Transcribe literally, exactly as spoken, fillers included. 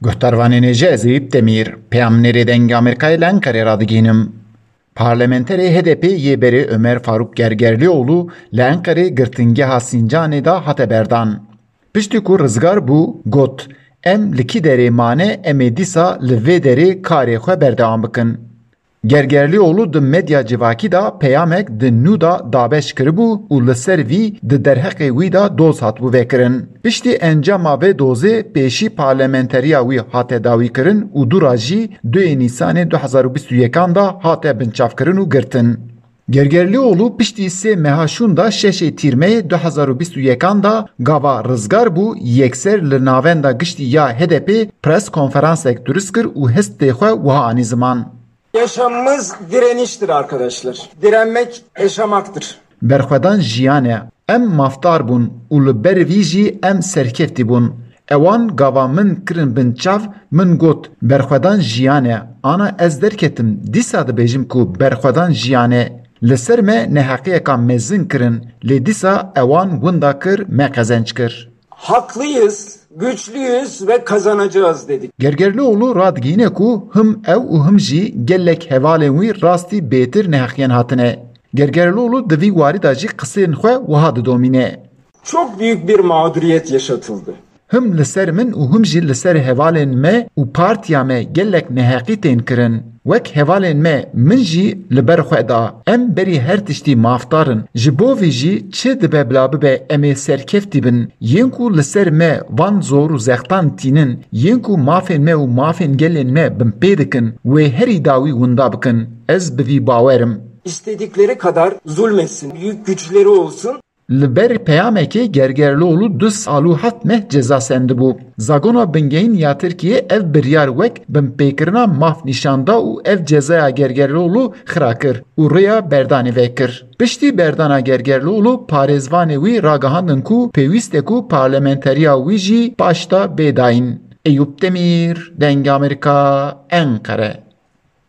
Guhdarvanên hêja, ez Eyüp Demir, peyamnêrê Dengê Amerîkayê li Enqerê radigihînim. Parlamenterê H D P yê berê Ömer Faruk Gergerlioğlu li Enqerê girtingeha Sincanê de hate berdan. Piştî ku rizgar bû, got, "Em li kî derê mane, em ê dîsa li vê derê karê xwe berdewam bikin." Gergerlioğlu di medya civakî de peyamek di nû de dabeş kiribû û li ser vî di derheqê wî de doz hatibû vekirin. Piştî encama vê dozê pêşî parlamenteriya wî hate dawîkirin û dûra jî duyê Nîsanê du hezar û bîst û yekan de hate binçavkirin û girtin. Gergerlioğlu piştî sê meha şûn de şeşê Tîrmeyê du hezar û bîst û yekan de gava rizgar bû, yekser li navenda giştî ya H D P pres konferansek durist kir û hestê xwe wiha anî ziman. Yaşamımız direniştir arkadaşlar. Direnmek yaşamaktır. Berxwedan jiyan e. Em mafdar bûn û li ber vî jî em serkeftî bûn. Ewan gava min kirin bin çav, min got, "Berxwedan jiyan e." Ana ez derketim, dîsa dibêjim ku berxwedan jiyan e. Li ser me neheqiyeka mezin kirin, lê dîsa ewan winda kir, me qezenc kir. Haklıyız, güçlüyüz ve kazanacağız dedik. Gergerlioğlu radigihîne ku him ew û him jî gelek hevalên wî rastî bêtir neheqiyan hatine. Gergerlioğlu di vî warî de jî qisên xwe wiha didomîne. Çok büyük bir mağduriyet yaşatıldı. Him li ser min û him jî li ser hevalên me û partiya me gelek neheqî tên kirin. Wek hevalên me, min jî li ber xwe da. Em berî her tiştî mafdar in. Ji bo vî jî çi dibe bila bibe em ê serkeftî bin. Yên ku li ser me van zor û zextan tînin, yên ku mafên me û mafên gelên me binpê dikin, wê herî dawî winda bikin. Ez bi vî bawer im. İstedikleri kadar zulmetsin, büyük güçleri olsun. Li ber peyamekê Gergerlioğlu du sal û heft meh ceza sendibû. Zagona Bingehîn ya Tirkiyê ev biryar wek binpêkirina maf nîşan da û ev cezaya Gergerlioğlu xira kir û rêya berdanê vekir. Piştî berdana Gergerlioğlu, parêzvanê wî ragihandin ku pêwîst e ku parlamenteriya wî jî paşta bê dayîn. Eyûp Demîr, Dengê Amerîka, Enqere.